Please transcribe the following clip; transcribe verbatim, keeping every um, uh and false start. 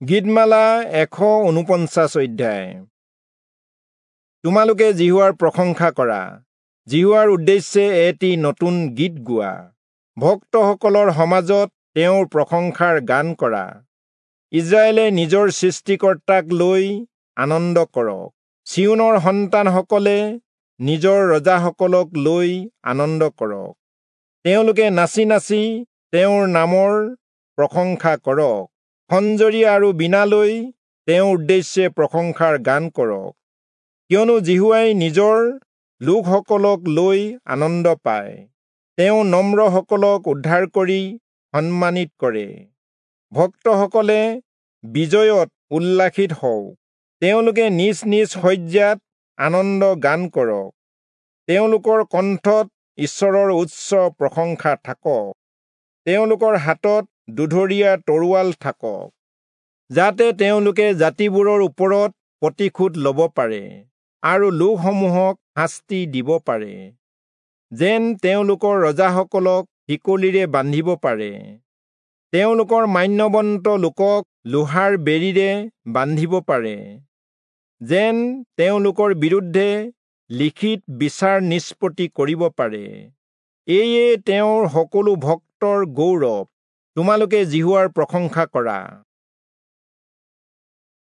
গীতমালা এশ ঊনপঞ্চাছ অধ্যায়। তোমালোকে যিহোৱাৰ প্ৰশংসা কৰা, যিহোৱাৰ উদ্দেশ্যে এটি নতুন গীত গোৱা, ভক্তসকলৰ সমাজত তেওঁৰ প্ৰশংসাৰ গান কৰা। ইজৰাইলে নিজৰ সৃষ্টিকৰ্তাক লৈ আনন্দ কৰক, চিয়োনৰ সন্তানসকলে নিজৰ ৰজাসকলক লৈ আনন্দ কৰক। তেওঁলোকে নাচি নাচি তেওঁৰ নামৰ প্ৰশংসা কৰক, খঞ্জৰী আৰু বীণালৈ তেওঁৰ উদ্দেশ্যে প্ৰশংসাৰ গান কৰক। কিয়নো যিহোৱাই নিজৰ লোকসকলক লৈ আনন্দ পায়, তেওঁ নম্ৰসকলক উদ্ধাৰ কৰি সন্মানিত কৰে। ভক্তসকলে বিজয়ত উল্লাসিত হওক, তেওঁলোকে নিজ নিজ শয্যাত আনন্দ গান কৰক, তেওঁলোকৰ কণ্ঠত ঈশ্বৰৰ উচ্চ প্ৰশংসা থাকক, তেওঁলোকৰ হাতত দুধৰীয়া তৰোৱাল থাকক, যাতে তেওঁলোকে জাতিবোৰৰ ওপৰত প্ৰতিশোধ ল'ব পাৰে আৰু লোকসমূহক শাস্তি দিব পাৰে, যেন তেওঁলোকৰ ৰজাসকলক শিকলিৰে বান্ধিব পাৰে, তেওঁলোকৰ মান্যৱন্ত লোকক লোহাৰ বেৰীৰে বান্ধিব পাৰে, যেন তেওঁলোকৰ বিৰুদ্ধে লিখিত বিচাৰ নিষ্পত্তি কৰিব পাৰে। এয়ে তেওঁৰ সকলো ভক্তৰ গৌৰৱ। তোমালোকে যিহোৱাৰ প্ৰশংসা কৰা।